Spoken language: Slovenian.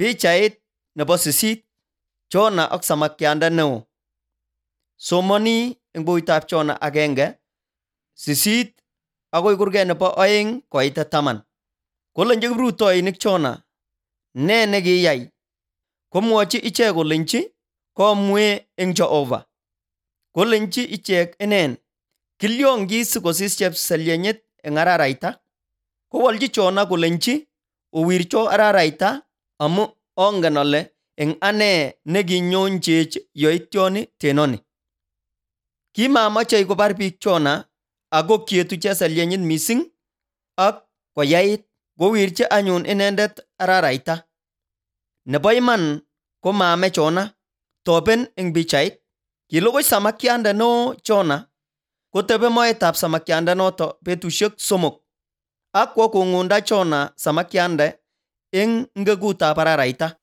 Pichait nebo 8. Jona ak samakianda neo. Somoni eng bukuitab Jona 1:8 agoi kurget nebo 2 koit 10. Kolenji kiprutoinik Jona, "Nee nekiyai?" Komwochi ichek kolenji, "Komwee eng Jehova." Kolenji ichek inen, "Kilyon sikosis chepsalyenyet eng araraita?" Kowolji Jona kolenji, "Owircho araraita amu ongen ale eng ane nekinyonchech yoityoni tenoni." Kimamachei kobar biik Jona ako kietu chesalyenyin mising ak koyait, kowirchi anyun inendet araraita. Nebo iman komame Jona. Toben eng pichait. Kilugui samakianda neo Jona, kotebe moetab samakiandanoto betusiek 3 ak kwo kong'unda Jona samakiande eng ngekutab araraita.